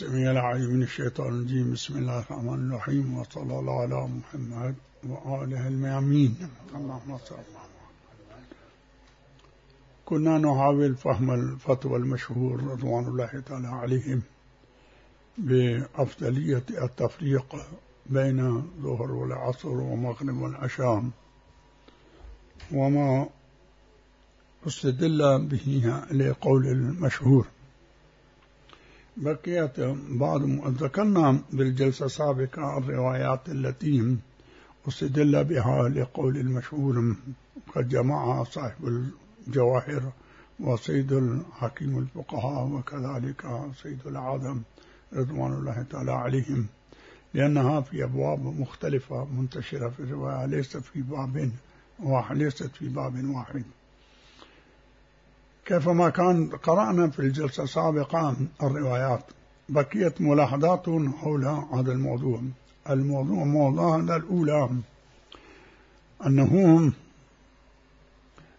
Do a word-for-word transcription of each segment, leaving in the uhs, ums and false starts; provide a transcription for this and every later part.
السميع العليم من الشيطان الرجيم. بسم الله الرحمن الرحيم، وصلى الله على محمد وآله الميامين. اللهم صل. كنا نحاول فهم الفتوى المشهور رضوان الله تعالى عليهم بأفضلية التفريق بين الظهر والعصر ومغرب والعشاء، وما استدل به لقول المشهور. بقيت بعض ذكرنا بالجلسة السابقة الروايات التي استدل بها لقول المشهور، قد جمعها صاحب الجواهر وسيد الحكيم الفقهاء وكذلك سيد العالم رضوان الله تعالى عليهم، لأنها في أبواب مختلفة منتشرة في الرواية، ليست في باب واحد ليست في باب واحد كيفما كان قرأنا في الجلسة السابقة الروايات. بقيت ملاحظات حول هذا الموضوع. الموضوع موضوع الأولى أنه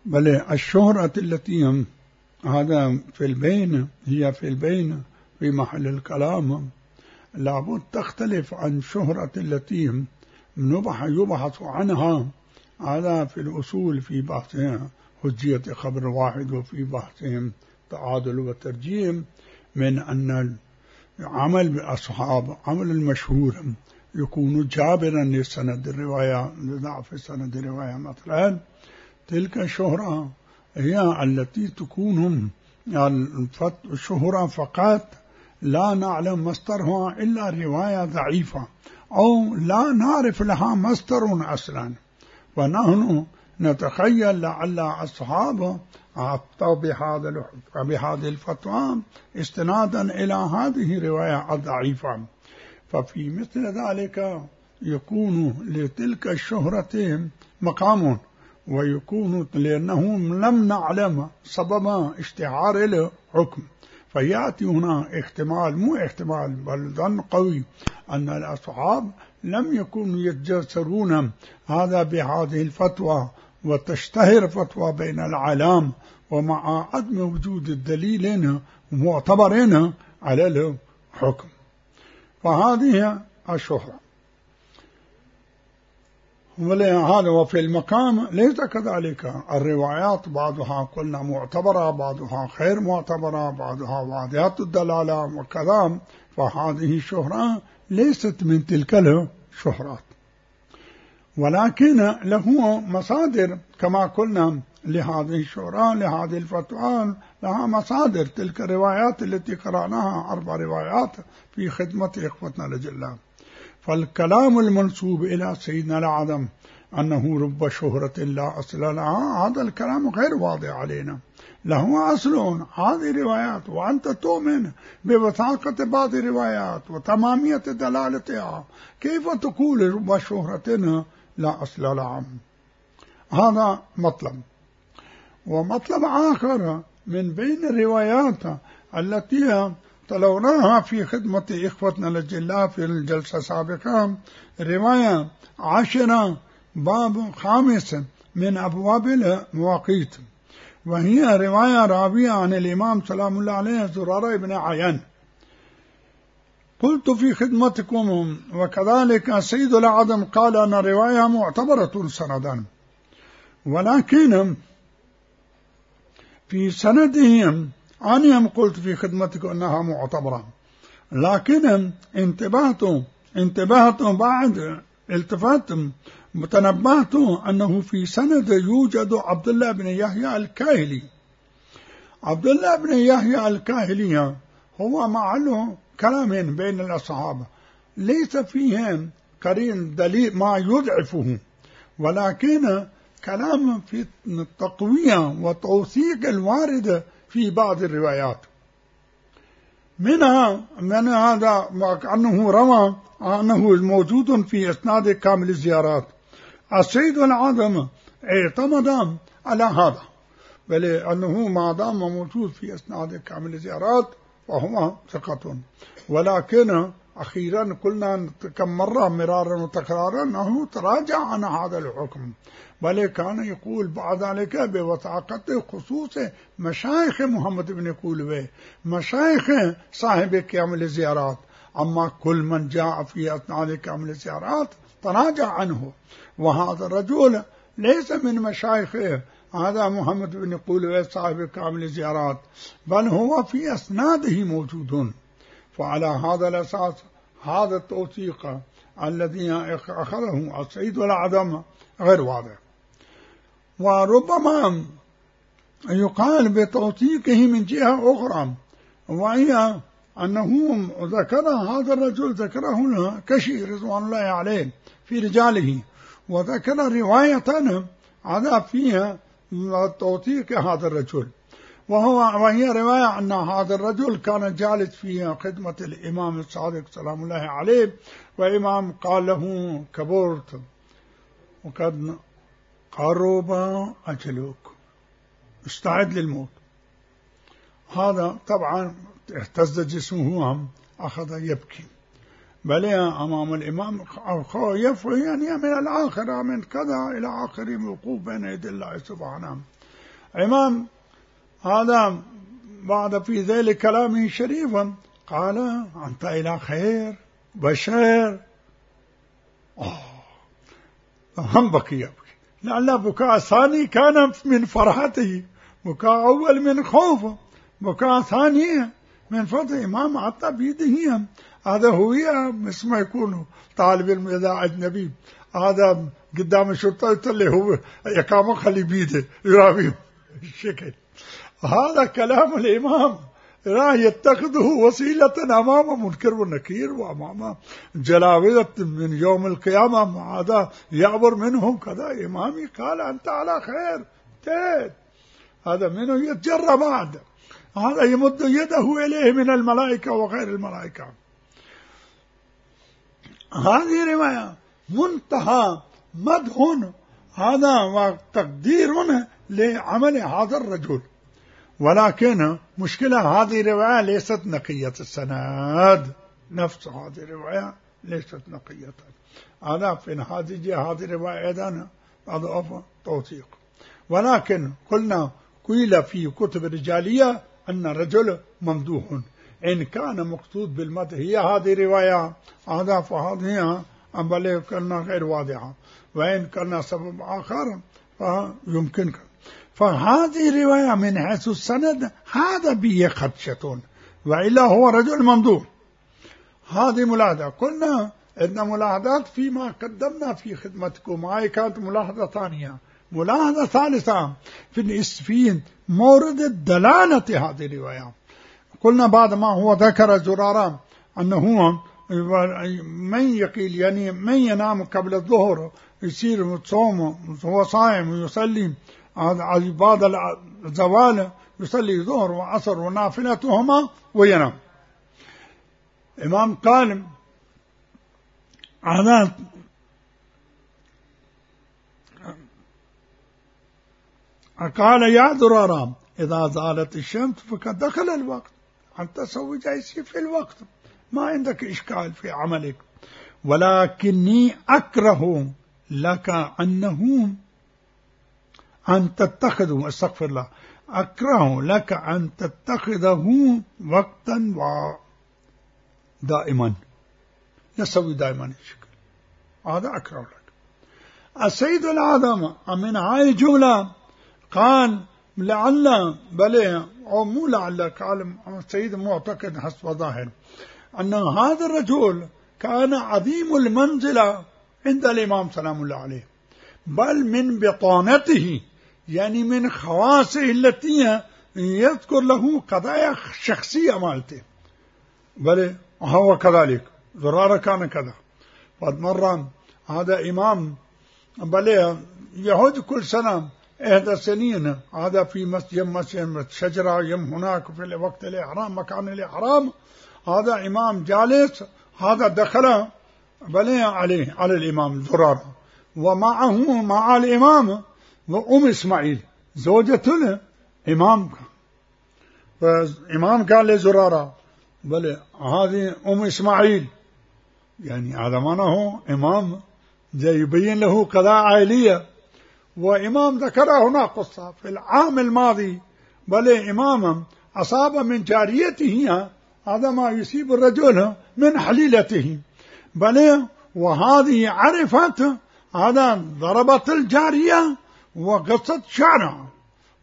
بل الشهرة التي هذا في البين هي في البين في محل الكلام لابد تختلف عن شهرة التي يبحث عنها هذا في الأصول في بحثها حجية خبر واحد، وفي بحثهم تعادل وترجيم، من أن عمل بأصحاب عمل المشهور يكون جابرا لسند الرواية لضعف سند الرواية. مثلا تلك الشهرة هي التي تكون الشهرة فقط لا نعلم مصدرها إلا رواية ضعيفة أو لا نعرف لها مصدر أصلا، ونحن نتخيل لعل أصحابه أفتوا بهذا بهذه الفتوى استنادا إلى هذه الرواية الضعيفة. ففي مثل ذلك يكون لتلك الشهرة مقام، ويكون لأنهم لم نعلم سبب اشتهار الحكم، فيأتي هنا احتمال مو احتمال بل ظن قوي أن الأصحاب لم يكونوا يتجسرون هذا بهذه الفتوى وتشتهر فتوى بين العالم ومع عدم وجود الدليل معتبرين على الحكم. فهذه الشهرة. ولهذا وفي المقام ليس كذلك. الروايات بعضها قلنا معتبرة، بعضها غير معتبرة، بعضها واضحة الدلالة وكذا، فهذه الشهرة ليست من تلك الشهرات، ولكن له مصادر كما قلنا لهذه الشهرة لهذه الفتوى لها مصادر. تلك الروايات التي قرأناها أربع روايات في خدمة إخوتنا الأجلاء. فالكلام المنسوب إلى سيدنا العدم أنه رب شهرة لا أصل لها، هذا الكلام غير واضح علينا. له أصل هذه الروايات، وأنت تؤمن بوثاقة بعض الروايات وتمامية دلالتها، كيف تقول رب شهرة لا أصل لها؟ هذا مطلب. ومطلب آخر من بين الروايات التي تلوناها في خدمة إخوتنا الأجلاء في الجلسة السابقة، رواية عشرة باب خامس من أبواب المواقيت، وهي رواية راوية عن الإمام سلام الله عليه زرارة بن عيان. قلت في خدمتكم وكذلك سيد العدم قال أن الرواية معتبرة سندا، ولكن في سندهم أنا قلت في خدمتكم أنها معتبرة، لكن انتبهت انتبهت بعد التفات متنبهت أنه في سند يوجد عبد الله بن يحيى الكاهلي. عبد الله بن يحيى الكاهلي هو معه كلام بين الأصحاب، ليس فيه قرين دليل ما يضعفه، ولكن كلام في التقوية وتوثيق الوارد في بعض الروايات. منها من هذا أنه روى أنه الموجود في إسناد كامل الزيارات. السيد العظم اعتمد على هذا، بل أنه ما دام موجود في إسناد كامل الزيارات فهو ثقة، ولكن أخيرا قلنا كم مرة مرارا وتكرارا أنه تراجع عن هذا الحكم، بل كان يقول بعد ذلك بوثاقته خصوص مشايخ محمد بن قولوي، مشايخ صاحب كامل الزيارات، أما كل من جاء في أثناء كامل الزيارات تراجع عنه. وهذا الرجل ليس من مشايخه، هذا محمد بن قولوي صاحب كامل الزيارات، بل هو في أسناده موجود. فعلى هذا الأساس هذا التوثيق الذي أخذه السيد الأعظم غير واضح. وربما يقال بتوثيقه من جهة أخرى، وهي أنه ذكر هذا الرجل ذكره الكشي رضوان الله عليه في رجاله، وذكر رواية هذا فيها توثيق هذا الرجل، وهو وهي رواية أن هذا الرجل كان جالس في خدمة الإمام الصادق سلام الله عليه، وإمام قال له كبرت وقد قرب أجلك، استعد للموت. هذا طبعا اهتز جسمه، أخذ يبكي، بل أمام الإمام خايف يعني من الآخرة من كذا إلى آخر الوقوف بين يدي الله سبحانه. إمام هذا بعد في ذلك كلامه شريفا قال أنت إلى خير بشير. آه هم بكي يبكي، لعل بكاء ثاني كان من فرحته، بكاء أول من خوفه، بكاء ثاني من فتح إمام عطى بيده. هذا هو مثل ما يكون طالب علم إذا أجنبي هذا قدام الشرطة اللي هو يقام خلي بيده يرابيه الشكل. هذا كلام الإمام راه يتخذه وسيلة أمام منكر ونكير وأمام جلاوذة من يوم القيامة، هذا يعبر منهم كذا. إمامي قال أنت على خير تيت، هذا منه يتجرى بعد، هذا يمد يده إليه من الملائكة وغير الملائكة. هذه رواية منتهى مدح هذا وتقدير لعمل هذا الرجل، ولكن مشكلة هذه الرواية ليست نقية السند، نفس هذه الرواية ليست نقية. هذا في هذه هذه الرواية أيضا أضعف توثيق، ولكن قلنا قيل في كتب الرجالية أن الرجل ممدوح، إن كان مقصود بالمدح هي هذه الرواية هذا فهذه بل كنا غير واضحة، وإن كان سبب آخر فيمكن. فهذه الرواية من حيث السند هذا به خدشة، وإلا هو رجل ممدوح. هذه ملاحظة. قلنا إن ملاحظات فيما قدمنا في خدمتكم، هاي كانت ملاحظة ثانية. ملاحظة ثالثة في في مورد الدلالة هذه الرواية. قلنا بعد ما هو ذكر زرارة أنه من يقيل يعني من ينام قبل الظهر يصير صوم هو صائم ويصلي بعد الزوال، يصلي ظهر وعصر ونافلتهما وينام. إمام قال هذا قال يا ذرارة إذا زالت الشمس فقد دخل الوقت، أنت سوي جايسي في الوقت، ما عندك إشكال في عملك، ولكني أكره لك أنه أن تتخذه استغفر الله أكره لك أن تتخذه وقتا دائما، يسوي دائما الشكل، هذا أكره لك. السيد الأعظم من هاي الجملة قال لعل بل أو مو لعل، قال السيد معتقد حسب ظاهر أن هذا الرجل كان عظيم المنزلة عند الإمام سلام الله عليه، بل من بطانته يعني من خواصه التي يذكر له قضايا شخصية مالته، بل هو كذلك. زرارة كان كذا. فمرة هذا إمام بل يهود كل سنة إحدى سنين هذا في مسجد مسجد شجرة يم هناك في وقت الإحرام مكان الإحرام، هذا إمام جالس، هذا دخل بل عليه على الإمام زرارة، ومعه مع الإمام وأم إسماعيل زوجة الإمام. فالإمام قال لزرارة بل هذه أم إسماعيل يعني هذا معناه إمام جاي يبين له قضاء عائلية، وإمام ذكر هنا قصة في العام الماضي، بل إماما أصاب من جاريته هذا ما يصيب الرجل من حليلته، بل وهذه عرفت هذا ضربت الجارية وقصت شعرها.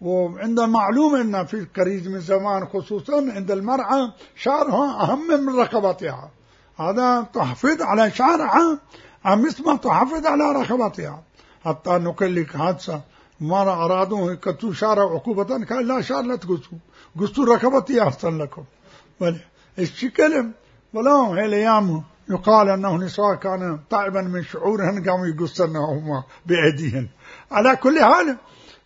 وعند معلوم أن في قريب من زمان خصوصا عند المرأة شعرها أهم من رقبتها، هذا تحافظ على شعرها مثل ما تحافظ على رقبتها. حتى نقول لك حادثة مرة أرادوا يقطعوا شعر عقوبة، قال لا شعر لا تقصوا، قصوا رقبتي أحسن لكم. بل الشكل ولا هي الأيام يقال أنه نساء كان تعبا من شعورهن قاموا يقصنهما بأيديهن. على كل حال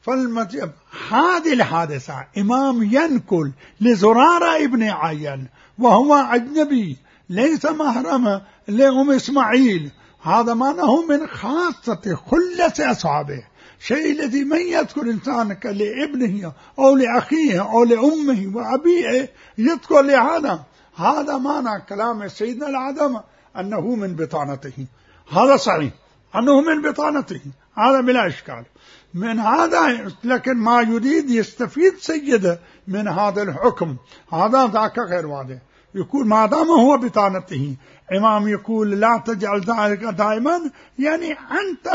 فالمتيب هذه الحادثة إمام ينقل لزرارة ابن عيان وهو أجنبي ليس محرم لأم إسماعيل، هذا معناه من خاصة خلة أصحابه، شيء الذي من يذكر إنسان لابنه أو لأخيه أو لأمه وأبيه يذكر لهذا، هذا معنى كلام سيدنا العدم أنه من بطانته، هذا صحيح أنه من بطانته، هذا بلا إشكال من هذا. لكن ما يريد يستفيد سيده من هذا الحكم هذا ذاك غير واضح، يقول ما دام هو بطانته. إمام يقول لا تجعل ذلك دائما، يعني أنت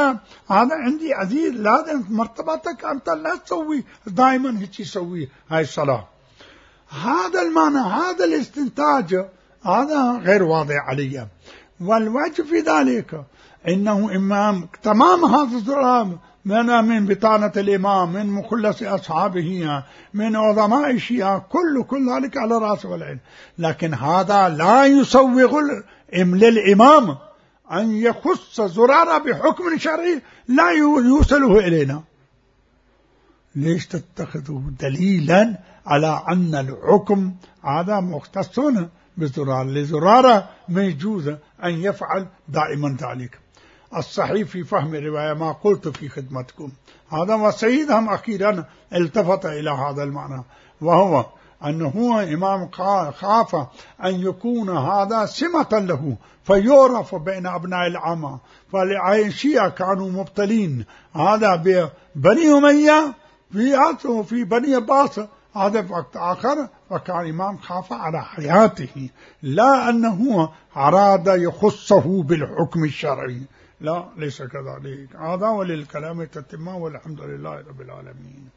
هذا عندي عزيز لازم مرتبتك أنت لا تسوي دائما هيك تسوي هاي الصلاة. هذا المعنى هذا الاستنتاج هذا غير واضح علي. والوجه في ذلك إنه إمام تمام هذا الزرام من من بطانة الإمام من مخلص أصحابه من عظماء الشيعة كل كل ذلك على رأس والعين، لكن هذا لا يسوغ للإمام أن يخص زرارة بحكم شرعي لا يوصله إلينا. ليش تتخذه دليلا على أن الحكم هذا مختص بزرارة؟ لزرارة ما يجوز أن يفعل دائما ذلك. الصحيح في فهم الرواية ما قلت في خدمتكم هذا، وسيدهم أخيرا التفت إلى هذا المعنى، وهو أنه إمام خاف أن يكون هذا سمة له فيعرف بين أبناء العامة، فالشيعة كانوا مبتلين هذا ببني أمية في في بني عباس هذا في وقت آخر، وكان إمام خاف على حياته لا أنه أراد يخصه بالحكم الشرعي، لا ليس كذلك. هذا وللكلام تتمة والحمد لله رب العالمين.